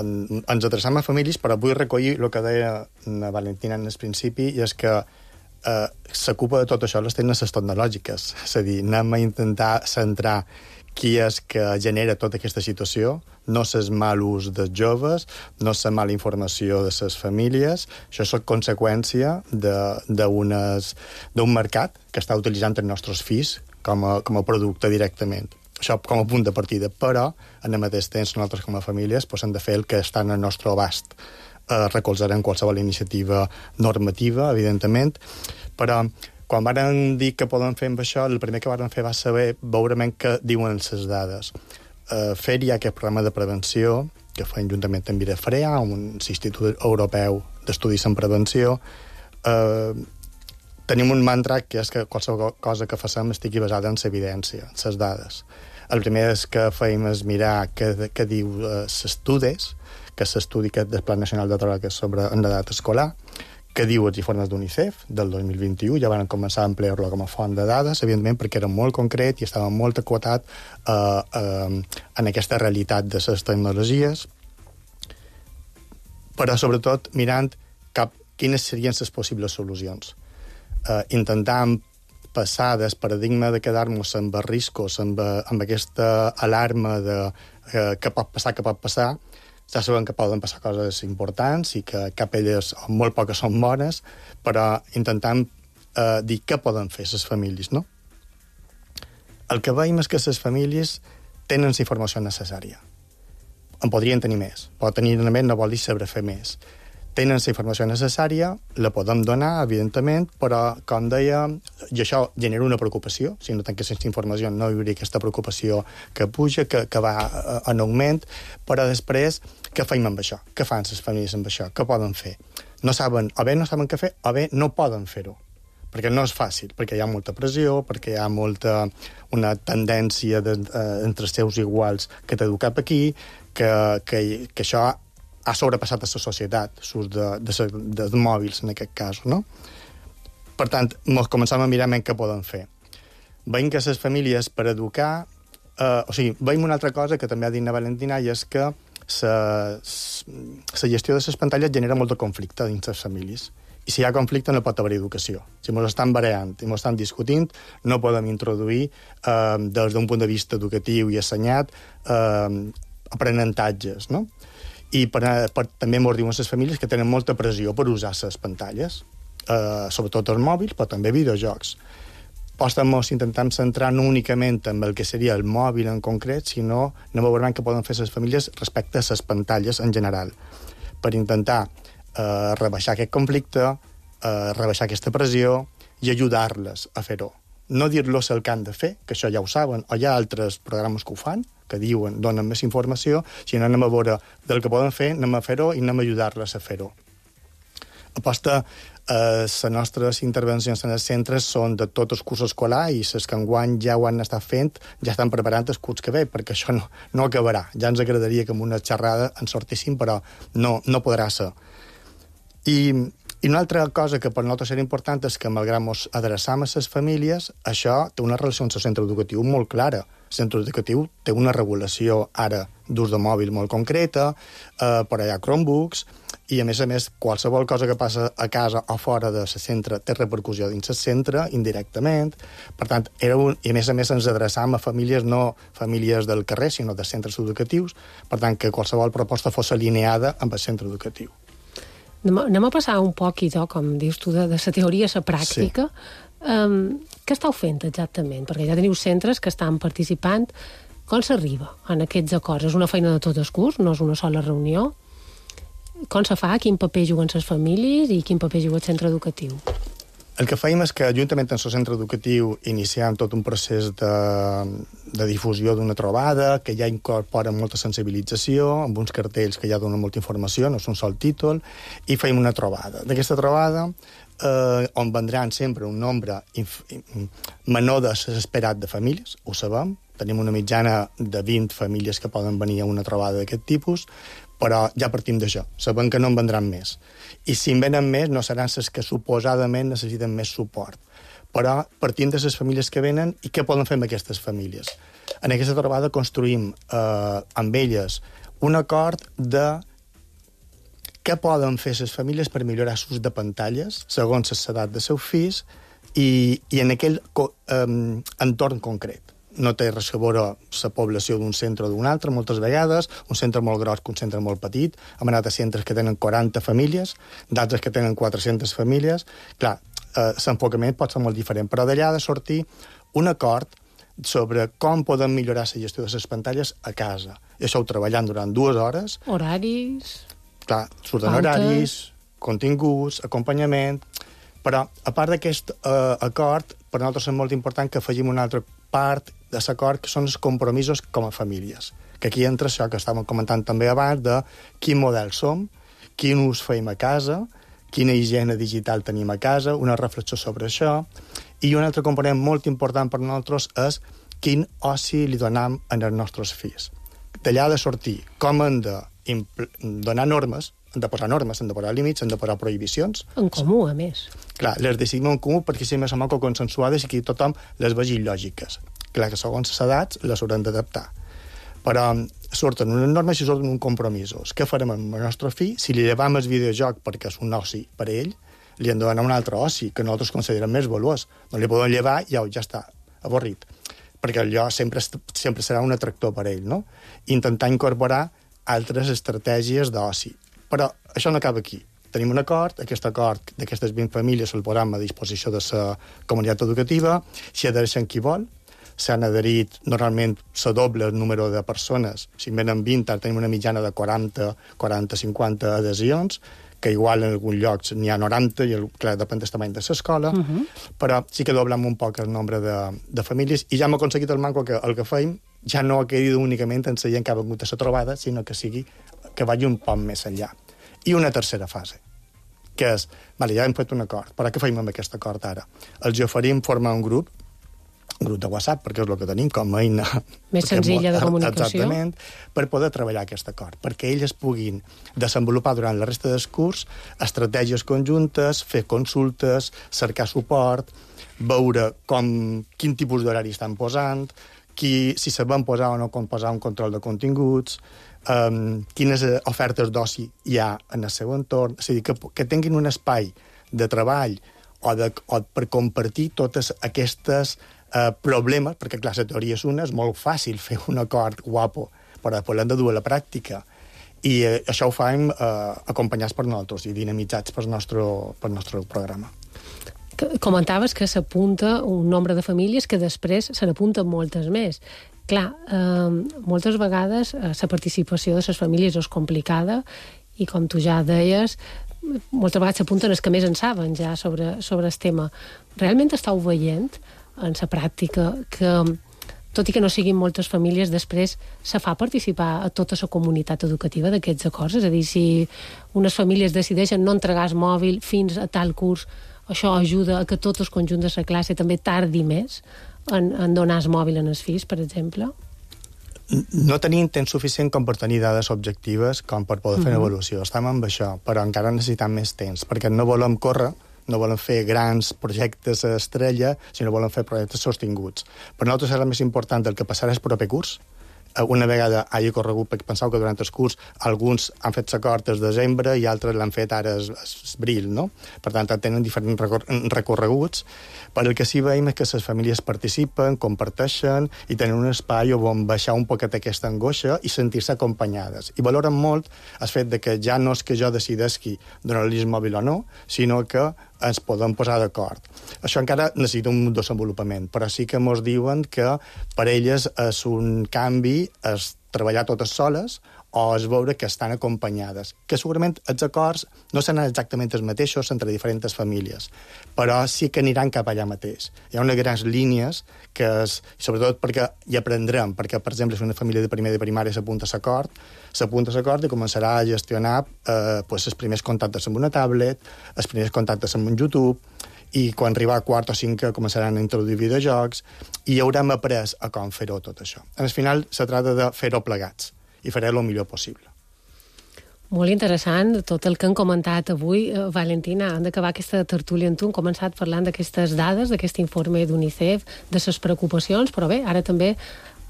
ens adreçam a famílies, però vull recollir el que deia la Valentina en el principi, i és que la culpa de tot això les tenen les tecnològiques. És a dir, anem a intentar centrar qui és que genera tota aquesta situació, no és el mal ús dels joves, no és la mala informació de les famílies, això és conseqüència d'un mercat que està utilitzant els nostres fills com a producte directament. Això com a punt de partida, però en el mateix temps nosaltres com a famílies hem de fer el que està en el nostre abast. Recolzarem qualsevol iniciativa normativa, evidentment, però quan vàrem dir que podem fer amb això, el primer que vàrem fer va saber veure què diuen les dades. FERIA, aquest programa de prevenció, que fem juntament amb IDFREA, un institut europeu d'estudis en prevenció, tenim un mantra que és que qualsevol cosa que facem estigui basada en l'evidència, en les dades. El primer que fèiem és mirar què diu s'estudis, que és l'estudi del Pla Nacional de Drogues sobre l'edat escolar, que diu els informes d'UNICEF del 2021, ja van començar a emplear-lo com a font de dades, evidentment perquè era molt concret i estava molt acotat en aquesta realitat de les tecnologies, però sobretot mirant quines serien les possibles solucions. Intentant passar del paradigma de quedar-nos amb riscos, amb aquesta alarma de què pot passar, ja sabem que poden passar coses importants i que cap d'elles, o molt poques, són bones, però intentant dir què poden fer les famílies, no? El que veiem és que les famílies tenen la informació necessària. En podrien tenir més, però tenir més no vol dir saber fer més. Tenen la informació necessària, la podem donar, evidentment, però, com deia, i això genera una preocupació. Si no tingués aquesta informació no hi hauria aquesta preocupació que puja, que va en augment, però després, què fem amb això? Què fan les famílies amb això? Què poden fer? No saben, o bé no saben què fer, o bé no poden fer-ho. Perquè no és fàcil, perquè hi ha molta pressió, perquè hi ha una tendència entre els seus iguals que t'edu cap aquí, que això ha sobrepassat a la societat, l'ús dels mòbils, en aquest cas, no? Per tant, començam a mirar què poden fer. Veiem que les famílies, per educar... veiem una altra cosa que també ha dit na Valentina, i és que la gestió de les pantalles genera molt de conflicte dins les famílies. I si hi ha conflicte no pot haver educació. Si ens estan barallant i ens estan discutint, no podem introduir, des d'un punt de vista educatiu i assenyat, aprenentatges, no? I també ens diuen les famílies que tenen molta pressió per usar les pantalles, sobretot els mòbils, però també videojocs. Ens intentem centrar no únicament en el que seria el mòbil en concret, sinó anem a veure què poden fer les famílies respecte a les pantalles en general, per intentar rebaixar aquest conflicte, rebaixar aquesta pressió i ajudar-les a fer-ho. No dir-los el que han de fer, que això ja ho saben, o hi ha altres programes que ho fan, que diuen, donen més informació, sinó anem a veure del que poden fer, anem a fer-ho i anem a ajudar-les a fer-ho. Aposta, les nostres intervencions en els centres són de tot el curs escolar i les que enguany ja ho han estat fent ja estan preparant el curs que ve, perquè això no acabarà. Ja ens agradaria que amb una xerrada en sortíssim, però no podrà ser. I una altra cosa que per nosaltres era important és que, malgrat ens adreçam a les famílies, això té una relació amb el centre educatiu molt clara. El centre educatiu té una regulació ara d'ús de mòbil molt concreta, però hi ha Chromebooks, i a més, qualsevol cosa que passa a casa o fora del centre té repercussió dins el centre, indirectament. Per tant, i a més ens adreçam a famílies, no famílies del carrer, sinó de centres educatius, per tant, que qualsevol proposta fos alineada amb el centre educatiu. Anem a passar un poc, idò, com dius tu, de la teoria a la pràctica. Sí. Què estàu fent exactament? Perquè ja teniu centres que estan participant. Com s'arriba en aquests acords? És una feina de tot el curs? No és una sola reunió? Com se fa? Quin paper juguen les famílies i quin paper juga el centre educatiu? El que fèiem és que, juntament amb el centre educatiu, iniciem tot un procés de difusió d'una trobada, que ja incorpora molta sensibilització, amb uns cartells que ja donen molta informació, no és un sol títol, i fèiem una trobada. D'aquesta trobada, on vendran sempre un nombre menor de l'esperat de famílies, ho sabem, tenim una mitjana de 20 famílies que poden venir a una trobada d'aquest tipus, però ja partim d'això, sabem que no en vendran més. I si en venen més, no seran les que suposadament necessiten més suport. Però partim de les famílies que venen i què poden fer amb aquestes famílies. En aquesta trobada construïm amb elles un acord de què poden fer les famílies per millorar l'ús de pantalles segons l'edat de seus fills i en aquell entorn concret. No té res a veure la població d'un centre o d'un altre, moltes vegades, un centre molt gros que un centre molt petit. Hem anat a centres que tenen 40 famílies, d'altres que tenen 400 famílies. Clar, l'enfocament pot ser molt diferent, però d'allà ha de sortir un acord sobre com podem millorar la gestió de les pantalles a casa. I això ho treballant durant 2 hores. Horaris... Clar, surten horaris, continguts, acompanyament... Però, a part d'aquest acord, per nosaltres és molt important que afegim una altra part de l'acord, que són els compromisos com a famílies. Que aquí entra això que estàvem comentant també abans, de quin model som, quin ús feim a casa, quina higiene digital tenim a casa, una reflexió sobre això. I un altre component molt important per nosaltres és quin oci li donam als nostres fills. D'allà ha de sortir com hem de donar normes, hem de posar normes, hem de posar límits, hem de posar prohibicions. En comú, a més. Clar, les decidim en comú perquè si més o menys consensuades i que tothom les vegi lògiques. Clar, que segons les edats les haurem d'adaptar. Però surten unes normes i surten uns compromisos. Què farem amb el nostre fill? Si li llevam el videojoc perquè és un oci per a ell, li hem de donar un altre oci que nosaltres considerem més valuós. No li podem llevar i ja està, avorrit. Perquè allò sempre serà un atractor per a ell, no? Intentar incorporar altres estratègies d'oci. Però això no acaba aquí. Tenim un acord, aquest acord d'aquestes 20 famílies el posam a disposició de la comunitat educativa, s'hi adhereixen qui vol, s'han adherit normalment la doble número de persones, si en venen 20, ara tenim una mitjana de 40-50 adhesions, que igual en alguns llocs n'hi ha 90, i clar, depèn del tamany de l'escola, però sí que doblem un poc el nombre de famílies, i ja hem aconseguit el manco que el que feim ja no quedi únicament en la gent que ha vingut a la trobada, sinó que vagi un poc més enllà. I una tercera fase, que és, vale, ja hem fet un acord, però què feim amb aquest acord ara? Els oferim formar un grup de WhatsApp, perquè és el que tenim com a eina més senzilla de comunicació. Exactament, per poder treballar aquest acord, perquè ells puguin desenvolupar durant la resta del curs estratègies conjuntes, fer consultes, cercar suport, veure quin tipus d'horari estan posant, si se van posar o no posar un control de continguts, quines ofertes d'oci hi ha en el seu entorn, és a dir, que tinguin un espai de treball o per compartir totes aquestes problemes, perquè clar, la teoria és una, és molt fàcil fer un acord guapo, però després l'hem de dur a la pràctica. I això ho fem acompanyats per nosaltres i dinamitzats pel nostre programa. Comentaves que s'apunta un nombre de famílies que després se n'apunten moltes més. Clar, moltes vegades la participació de les famílies és complicada i, com tu ja deies, moltes vegades s'apunten els que més en saben ja sobre el tema. Realment estàu veient en la pràctica que, tot i que no siguin moltes famílies, després se fa participar a tota la comunitat educativa d'aquests acords? És a dir, si unes famílies decideixen no entregar el mòbil fins a tal curs, això ajuda a que tot el conjunt de la classe també tardi més en donar el mòbil als fills, per exemple? No tenim temps suficient com per tenir dades objectives com per poder fer una evolució. Estem amb això, però encara necessitem més temps, perquè no volem córrer, no volem fer grans projectes estrella, sinó volem fer projectes sostinguts. Per nosaltres és el més important el que passarà el proper curs. Una vegada hagi corregut, perquè penseu que durant el curs alguns han fet l'acord des de desembre i altres l'han fet ara abril, no? Per tant, tenen diferents recorreguts, però el que sí veiem és que les famílies participen, comparteixen i tenen un espai on baixar un poquet aquesta angoixa i sentir-se acompanyades. I valoren molt el fet de que ja no és que jo decideixi donar-li el mòbil o no, sinó que ens podem posar d'acord. Això encara necessita un desenvolupament, però sí que ens diuen que per elles és un canvi, és treballar totes soles o és veure que estan acompanyades. Que segurament els acords no seran exactament els mateixos entre diferents famílies, però sí que aniran cap allà mateix. Hi ha unes grans línies que és, sobretot perquè hi aprendrem, perquè, per exemple, si una família de primer de primària s'apunta a l'acord i començarà a gestionar els primers contactes amb una tablet, els primers contactes amb un YouTube, i quan arriba a quart o cinquè començaran a introduir videojocs i haurem après a com fer-ho tot això. Al final se trata de fer-ho plegats i faré el millor possible. Molt interessant tot el que han comentat avui. Valentina, hem d'acabar aquesta tertúlia amb tu. Hem començat parlant d'aquestes dades, d'aquest informe d'UNICEF, de les preocupacions, però bé, ara també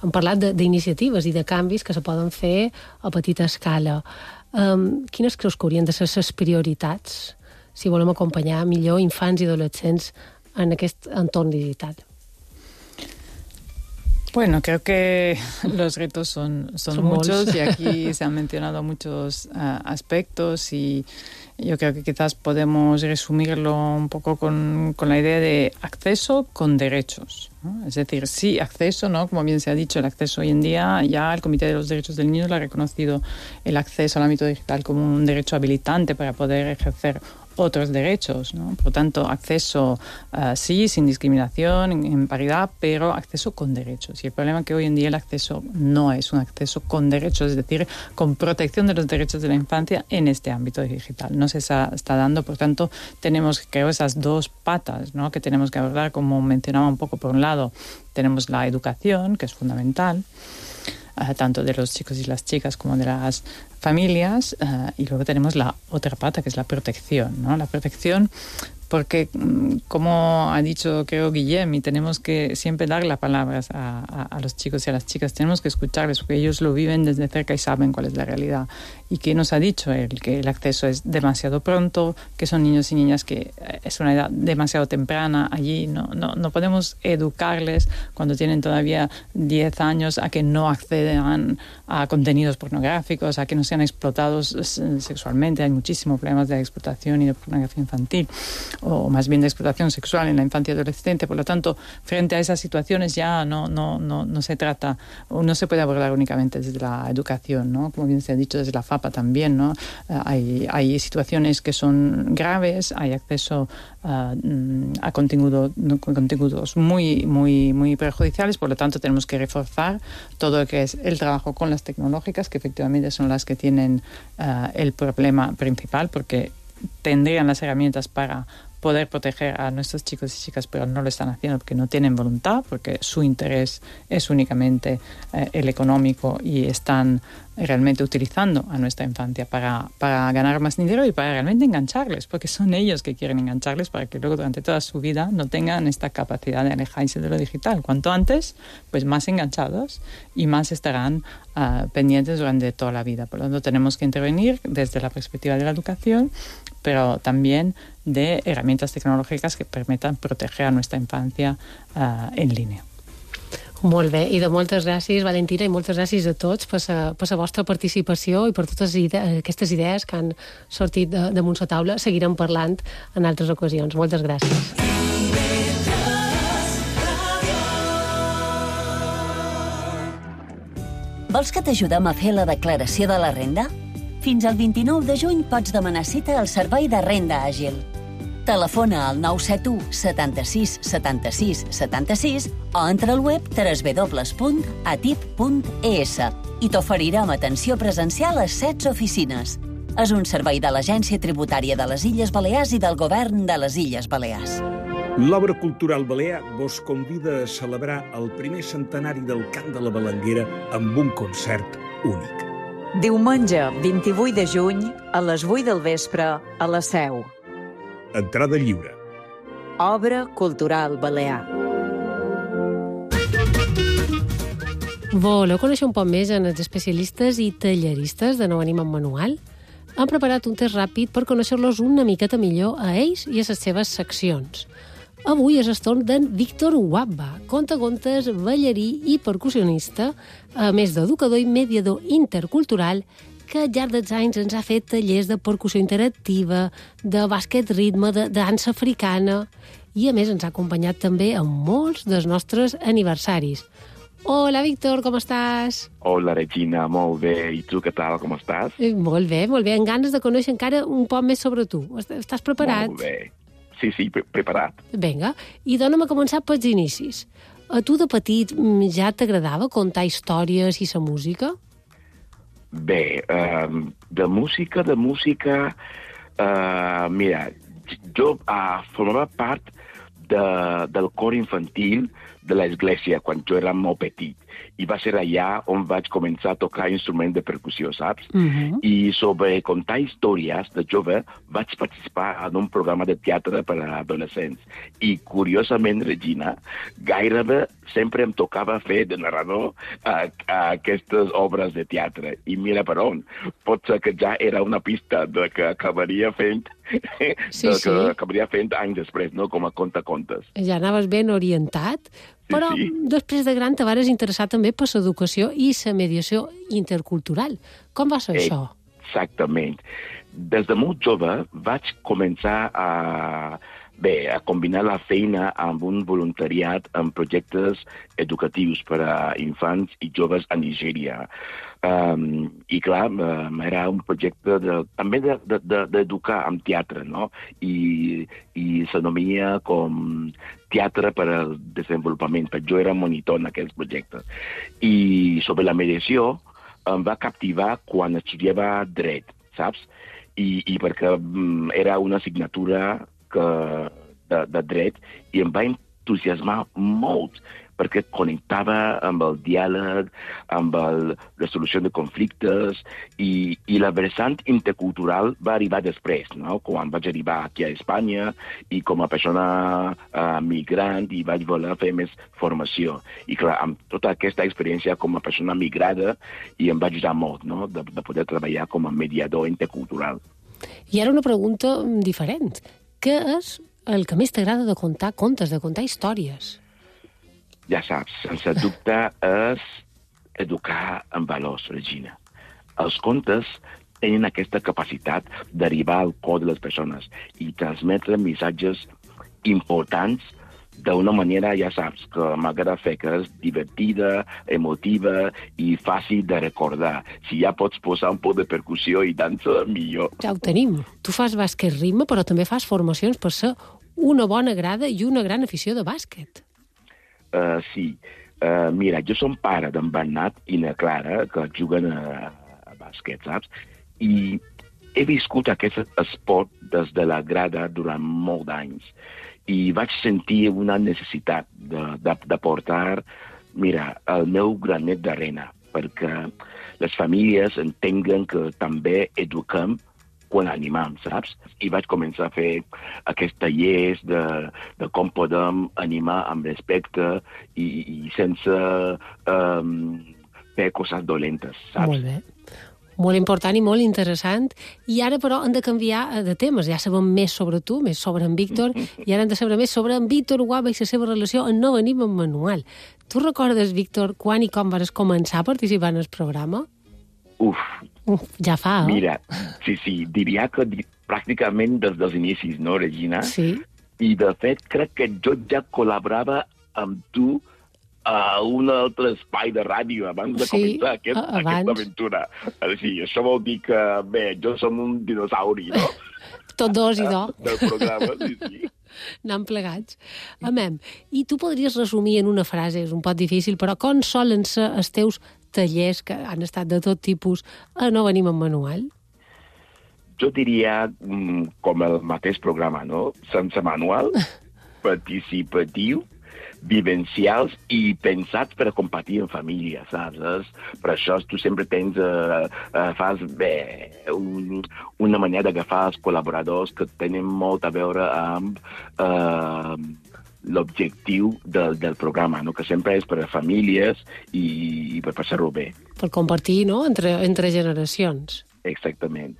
hem parlat d'iniciatives i de canvis que se poden fer a petita escala. Quines creus que haurien de ser les prioritats si volem acompanyar millor infants i adolescents en aquest entorn digital? Bueno, creo que los retos son muchos y aquí se han mencionado muchos aspectos y yo creo que quizás podemos resumirlo un poco con la idea de acceso con derechos, ¿no? Es decir, sí, acceso, ¿no? Como bien se ha dicho, el acceso hoy en día, ya el Comité de los Derechos del Niño lo ha reconocido el acceso al ámbito digital como un derecho habilitante para poder ejercer otros derechos, ¿no? Por lo tanto, acceso sí, sin discriminación, en paridad, pero acceso con derechos. Y el problema es que hoy en día el acceso no es un acceso con derechos, es decir, con protección de los derechos de la infancia en este ámbito digital. No se está dando, por tanto, tenemos, creo, esas dos patas, ¿no?, que tenemos que abordar, como mencionaba un poco. Por un lado, tenemos la educación, que es fundamental, tanto de los chicos y las chicas como de las familias, y luego tenemos la otra pata, que es la protección, ¿no? La protección, porque, como ha dicho, creo, Guillem, y tenemos que siempre dar las palabras a los chicos y a las chicas, tenemos que escucharles, porque ellos lo viven desde cerca y saben cuál es la realidad. Y que nos ha dicho él, que el acceso es demasiado pronto, que son niños y niñas que es una edad demasiado temprana. Allí no podemos educarles cuando tienen todavía 10 años a que no accedan a contenidos pornográficos, a que no sean explotados sexualmente. Hay muchísimos problemas de explotación y de pornografía infantil, o más bien de explotación sexual en la infancia y adolescente. Por lo tanto, frente a esas situaciones ya no se trata, o no se puede abordar únicamente desde la educación, ¿no? Como bien se ha dicho, desde la FAPA también, ¿no? Hay situaciones que son graves, hay acceso a contenidos muy perjudiciales. Por lo tanto, tenemos que reforzar todo lo que es el trabajo con las tecnológicas, que efectivamente son las que tienen el problema principal, porque tendrían las herramientas para poder proteger a nuestros chicos y chicas, pero no lo están haciendo porque no tienen voluntad, porque su interés es únicamente el económico, y están realmente utilizando a nuestra infancia para ganar más dinero y para realmente engancharles, porque son ellos que quieren engancharles para que luego durante toda su vida no tengan esta capacidad de alejarse de lo digital. Cuanto antes, pues más enganchados y más estarán pendientes durante toda la vida. Por lo tanto, tenemos que intervenir desde la perspectiva de la educación, pero también de herramientas tecnològiques que permetan proteger a nuestra infancia en línia. Molt bé, i de moltes gràcies, Valentina, i moltes gràcies a tots per la vostra participació i per totes aquestes idees que han sortit damunt la taula. Seguirem parlant en altres ocasions. Moltes gràcies. Vols que t'ajudem a fer la declaració de la renda? Fins al 29 de juny pots demanar cita al Servei de Renda Àgil. Telefona al 971 76 76 76 o entra al web www.atip.es i t'oferirem atenció presencial a 16 oficines. És un servei de l'Agència Tributària de les Illes Balears i del Govern de les Illes Balears. L'Obra Cultural Balear vos convida a celebrar el primer centenari del Cant de la Balanguera amb un concert únic. Diumenge 28 de juny a les 8 del vespre a la Seu. Entrada lliure. Obra Cultural Balear. Voleu conèixer un poc més en els especialistes i talleristes de Nou Ànima Manual? Han preparat un test ràpid per conèixer-los una miqueta millor a ells i a les seves seccions. Avui és el torn d'en Víctor Wabba, contacontes, ballarí i percussionista, a més d'educador i mediador intercultural, que al llarg dels anys ens ha fet tallers de percussió interactiva, de bàsquet ritme, de dansa africana, i a més ens ha acompanyat també en molts dels nostres aniversaris. Hola, Víctor, com estàs? Hola, Regina, molt bé. I tu, què tal, com estàs? Molt bé, amb ganes de conèixer encara un poc més sobre tu. Estàs preparat? Molt bé. Sí, preparat. Vinga, i dona'm a començar pels inicis. A tu de petit ja t'agradava contar històries i la música? Bé, de música, mira, jo formava part del cor infantil de l'església quan jo era molt petit. I va ser allà on vaig començar a tocar instruments de percussió, saps? I sobre contar històries de jove vaig participar en un programa de teatre per a adolescents. I, curiosament, Regina, gairebé sempre em tocava fer de narrador a aquestes obres de teatre. I mira per on. Pot ser que ja era una pista de que acabaria fent anys després, no? Com a contacontes. Ja anaves ben orientat, però després de gran te vares interessar també per l'educació i la mediació intercultural. Com va ser això? Exactament. Des de molt jove vaig començar a a combinar la feina amb un voluntariat en projectes educatius per a infants i joves a Nigèria. I clar, era un projecte també d'educar amb teatre, no? I s'anomia com teatre per al desenvolupament, perquè jo era monitor en aquests projectes. I sobre la mediació em va captivar quan estudiava dret, saps? I perquè era una assignatura de dret i em va entusiasmar molt perquè connectava amb el diàleg, amb la resolució de conflictes i la vessant intercultural va arribar després, no? Quan vaig arribar aquí a Espanya i com a persona migrant i vaig voler fer més formació. I clar, amb tota aquesta experiència com a persona migrada i em va ajudar molt, no? De poder treballar com a mediador intercultural. I ara una pregunta diferent. Què és el que més t'agrada de contar contes, de contar històries? Ja saps, sense dubte és educar en valors, Regina. Els contes tenen aquesta capacitat d'arribar al cor de les persones i transmetre missatges importants d'una manera, ja saps, que m'agrada fer, que és divertida, emotiva i fàcil de recordar. Si ja pots posar un poc de percussió i dansa, millor. Ja ho tenim. Tu fas bàsquet ritme, però també fas formacions per ser una bona grada i una gran afició de bàsquet. Sí. Mira, jo som pare d'en Bernat i na Clara, que juguen a bàsquet, saps? I he viscut aquest esport des de la grada durant molts anys. I vaig sentir una necessitat de portar, mira, el meu granet d'arena, perquè les famílies entenguen que també eduquem quan animam, saps? I vaig començar a fer aquests tallers de com podem animar amb respecte i sense fer coses dolentes, saps? Molt bé. Molt important i molt interessant. I ara, però, hem de canviar de temes. Ja sabem més sobre tu, més sobre en Víctor, i ara hem de saber més sobre en Víctor Guava i la seva relació en No venim en manual. Tu recordes, Víctor, quan i com vas començar a participar en el programa? Ja fa, Mira, sí, diria que pràcticament des dels inicis, no, Regina? Sí. I, de fet, crec que jo ja col·laborava amb tu a un altre espai de ràdio abans de començar aquesta aventura. Sí, això vol dir que, bé, jo som un dinosauri, no? Tot dos i do. Del programa, sí. Anem plegats. Amem, i tu podries resumir en una frase, és un poc difícil, però com solen ser els teus tallers, que han estat de tot tipus, a No venim en manual? Jo diria com el mateix programa, no? Sense manual, participatiu, vivencials i pensats per a compartir en família, saps? Per això tu sempre fas una manera d'agafar els col·laboradors que tenen molt a veure amb l'objectiu del programa, no? Que sempre és per a famílies i per passar-ho bé. Per compartir, no?, entre generacions. Exactament.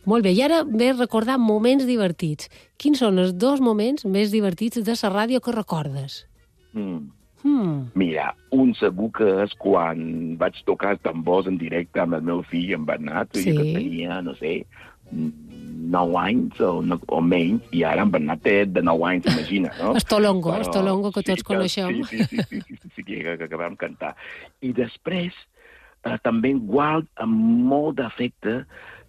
Molt bé, i ara ve recordar moments divertits. Quins són els 2 moments més divertits de la ràdio que recordes? Mira, un segur que és quan vaig tocar tambors en directe amb el meu fill, en Bernat, que tenia, no sé, 9 anys o menys, i ara en Bernat té de 9 anys, imagina, no? Estolongo, que tots coneixem. Sí, que vam cantar. I després, també guard amb molt d'afecte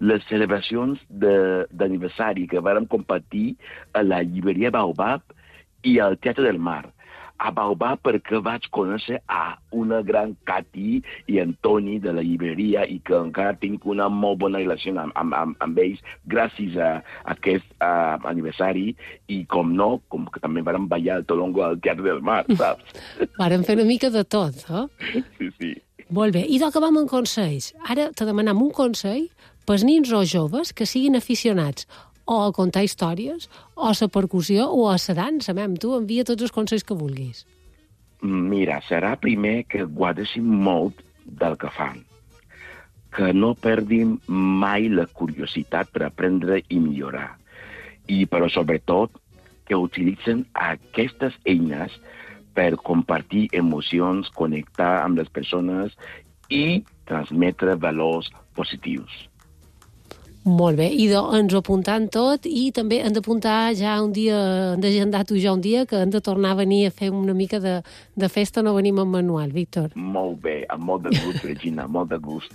les celebracions d'aniversari que vàrem compartir a la llibreria Baobab i al Teatre del Mar. A Baobab perquè vaig conèixer a una gran Cati i Antoni de la llibreria i que encara tinc una molt bona relació amb ells gràcies a aquest aniversari i com que també vam ballar el Tolongo al Teatre del Mar, saps? Vàrem fer una mica de tot, Sí. Molt bé, i acabam amb consells. Ara te demanem un consell pels nins o joves que siguin aficionats o a contar històries, o a la percussió, o a la dansa. Tu envia tots els consells que vulguis. Mira, serà primer que guardessin molt del que fan. Que no perdin mai la curiositat per aprendre i millorar. Però, sobretot, que utilitzen aquestes eines per compartir emocions, connectar amb les persones i transmetre valors positius. Molt bé, i ens ho apuntant tot i també hem d'apuntar ja un dia, hem d'agendar-ho ja un dia, que hem de tornar a venir a fer una mica de festa, no venim amb manual, Víctor. Molt bé, amb molt de gust, Regina, molt de gust.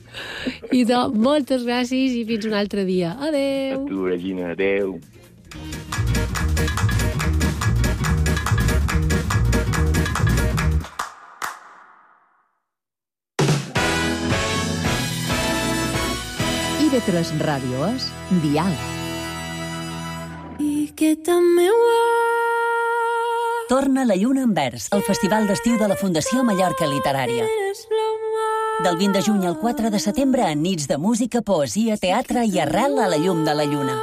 I moltes gràcies i fins un altre dia. Adéu. A tu, Regina, adéu. IB3 Ràdio és Diàleg. Torna la lluna en vers, el festival d'estiu de la Fundació Mallorca Literària. Del 20 de juny al 4 de setembre, en nits de música, poesia, teatre i arrel a la llum de la lluna.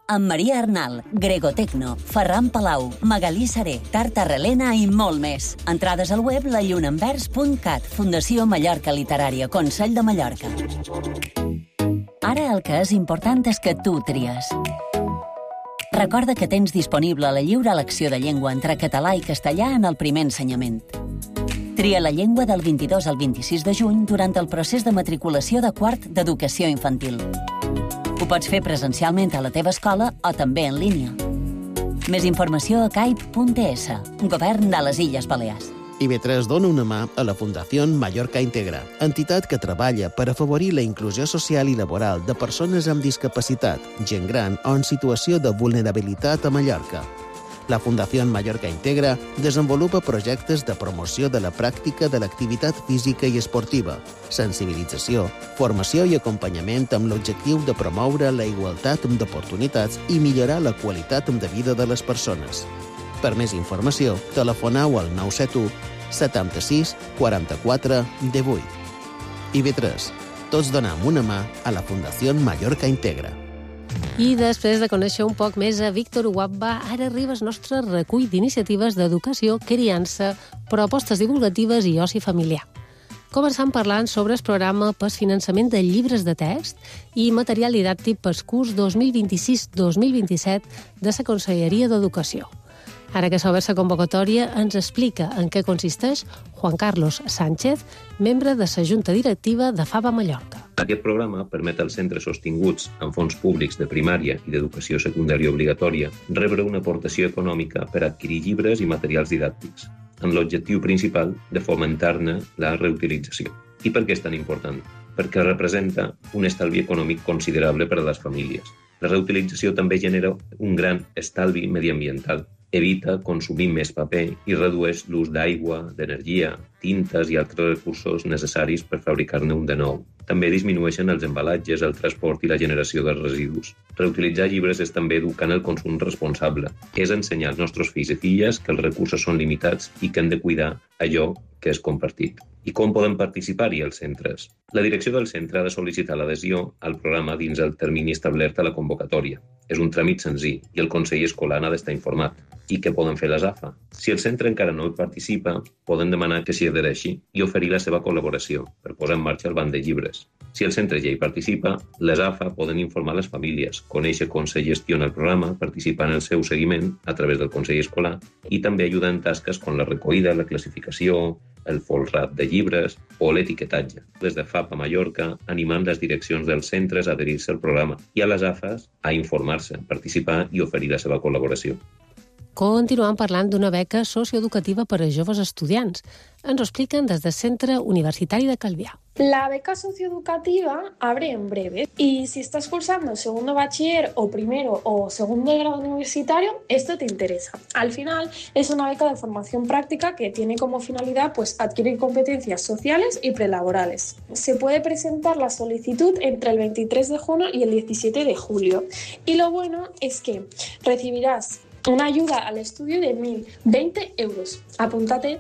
Amb Maria Arnal, Grego Tecno, Ferran Palau, Magalí Seré, Tarta Relena i molt més. Entrades al web lallunaenvers.cat, Fundació Mallorca Literària, Consell de Mallorca. Ara el que és important és que tu tries. Recorda que tens disponible la lliure elecció de llengua entre català i castellà en el primer ensenyament. Tria la llengua del 22 al 26 de juny durant el procés de matriculació de quart d'educació infantil. Ho pots fer presencialment a la teva escola o també en línia. Més informació a caip.es, Govern de les Illes Balears. IB3 dona una mà a la Fundació Mallorca Integra, entitat que treballa per afavorir la inclusió social i laboral de persones amb discapacitat, gent gran o en situació de vulnerabilitat a Mallorca. La Fundació Mallorca Integra desenvolupa projectes de promoció de la pràctica de l'activitat física i esportiva, sensibilització, formació i acompanyament amb l'objectiu de promoure la igualtat d'oportunitats i millorar la qualitat de vida de les persones. Per més informació, telefoneu al 971 76 44 18. IB3. Tots donem una mà a la Fundació Mallorca Integra. I després de conèixer un poc més a Víctor Uwabba, ara arriba el nostre recull d'iniciatives d'educació, criança, propostes divulgatives i oci familiar. Començant parlant sobre el programa per finançament de llibres de text i material didàctic pel curs 2026-2027 de la Conselleria d'Educació. Ara que s'ha obert la convocatòria, ens explica en què consisteix Juan Carlos Sánchez, membre de la Junta Directiva de FABA Mallorca. Aquest programa permet als centres sostinguts amb fons públics de primària i d'educació secundària obligatòria rebre una aportació econòmica per adquirir llibres i materials didàctics, amb l'objectiu principal de fomentar-ne la reutilització. I per què és tan important? Perquè representa un estalvi econòmic considerable per a les famílies. La reutilització també genera un gran estalvi mediambiental. Evita consumir més paper i redueix l'ús d'aigua, d'energia, tintes i altres recursos necessaris per fabricar-ne un de nou. També disminueixen els embalatges, el transport i la generació de residus. Reutilitzar llibres és també educar en el consum responsable. És ensenyar als nostres fills i filles que els recursos són limitats i que hem de cuidar allò que és compartit. I com poden participar-hi els centres? La direcció del centre ha de sol·licitar l'adhesió al programa dins el termini establert a la convocatòria. És un tràmit senzill i el Consell Escolar ha d'estar informat. I què poden fer les AFA? Si el centre encara no hi participa, poden demanar que s'hi adhereixi i oferir la seva col·laboració per posar en marxa el banc de llibres. Si el centre ja hi participa, les AFA poden informar les famílies, conèixer com se gestiona el programa, participar en el seu seguiment a través del Consell Escolar i també ajudar en tasques com la recollida, la classificació, el folrat de llibres o l'etiquetatge. Des de FABA Mallorca, animant les direccions dels centres a adherir-se al programa i a les AFAs a informar-se, participar i oferir la seva col·laboració. Continuem parlant d'una beca socioeducativa per a joves estudiants. Ens ho expliquen des del Centre Universitari de Calvià. La beca socioeducativa abre en breve y si estás cursando segundo bachiller o primero o segundo de grado universitario, esto te interesa. Al final es una beca de formación práctica que tiene como finalidad adquirir competencias sociales y prelaborales. Se puede presentar la solicitud entre el 23 de junio y el 17 de julio. Y lo bueno es que recibirás una ayuda al estudio de 1.020 euros. Apúntate.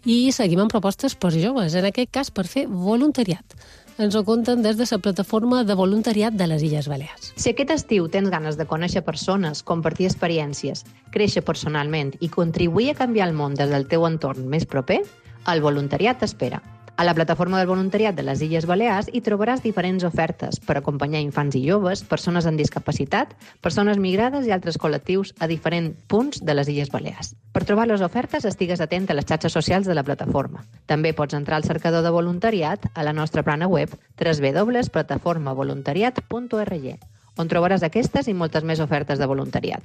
I seguim amb propostes per joves, en aquest cas per fer voluntariat. Ens ho conten des de la plataforma de voluntariat de les Illes Balears. Si aquest estiu tens ganes de conèixer persones, compartir experiències, créixer personalment i contribuir a canviar el món des del teu entorn més proper, el voluntariat t'espera. A la plataforma del voluntariat de les Illes Balears hi trobaràs diferents ofertes per acompanyar infants i joves, persones amb discapacitat, persones migrades i altres col·lectius a diferents punts de les Illes Balears. Per trobar les ofertes, estigues atent a les xarxes socials de la plataforma. També pots entrar al cercador de voluntariat a la nostra plana web www.plataformavoluntariat.org on trobaràs aquestes i moltes més ofertes de voluntariat.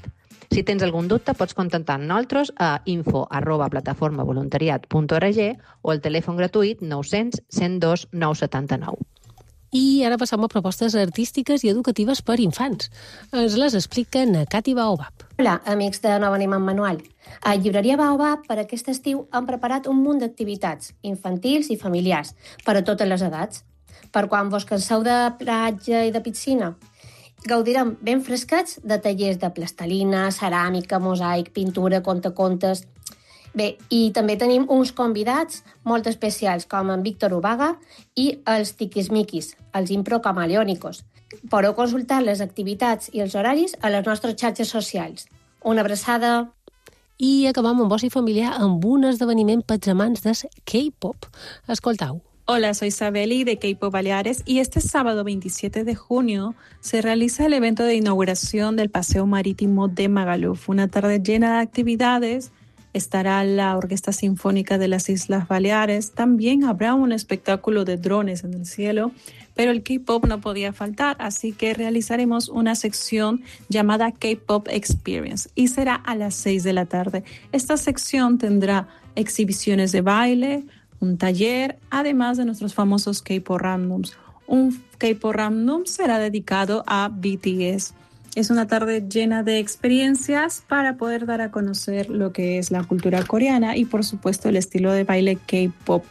Si tens algun dubte, pots contactar amb nosaltres a info@plataformavoluntariat.org o al telèfon gratuït 900 102 979. I ara passam a propostes artístiques i educatives per infants. Ens les explica na Cati Baobab. Hola, amics de No Venim amb Manual. A Llibreria Baobab, per aquest estiu, han preparat un munt d'activitats infantils i familiars per a totes les edats. Per quan vos canseu de platja i de piscina, gaudirem ben fresquets de tallers de plastelina, ceràmica, mosaic, pintura, contacontes. Bé, i també tenim uns convidats molt especials, com en Víctor Ubaga i els Tiquismiquis, els improcamaleònicos. Podeu consultar les activitats i els horaris a les nostres xarxes socials. Una abraçada! I acabam amb oci familiar amb un esdeveniment pels amants del K-pop. Escoltau. Hola, soy Sabeli de K-Pop Baleares y este sábado 27 de junio se realiza el evento de inauguración del Paseo Marítimo de Magaluf, una tarde llena de actividades. Estará la Orquesta Sinfónica de las Islas Baleares, también habrá un espectáculo de drones en el cielo, pero el K-Pop no podía faltar, así que realizaremos una sección llamada K-Pop Experience y será a las 6 de la tarde. Esta sección tendrá exhibiciones de baile, un taller, además de nuestros famosos K-Pop Randoms. Un K-Pop Random será dedicado a BTS. Es una tarde llena de experiencias para poder dar a conocer lo que es la cultura coreana y, por supuesto, el estilo de baile K-Pop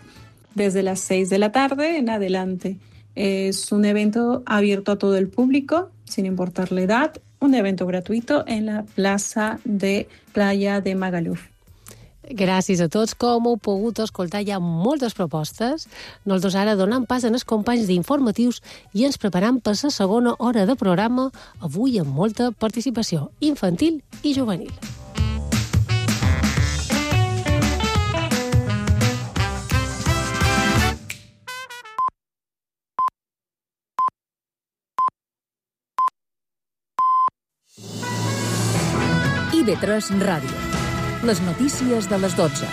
desde las 6 de la tarde en adelante. Es un evento abierto a todo el público, sin importar la edad, un evento gratuito en la plaça de Playa de Magaluf. Gràcies a tots. Com heu pogut escoltar, hi ha moltes propostes. Nosaltres ara donam pas als companys d'informatius i ens preparam per la segona hora de programa, avui amb molta participació infantil i juvenil. IB3 Ràdio. Les notícies de les 12.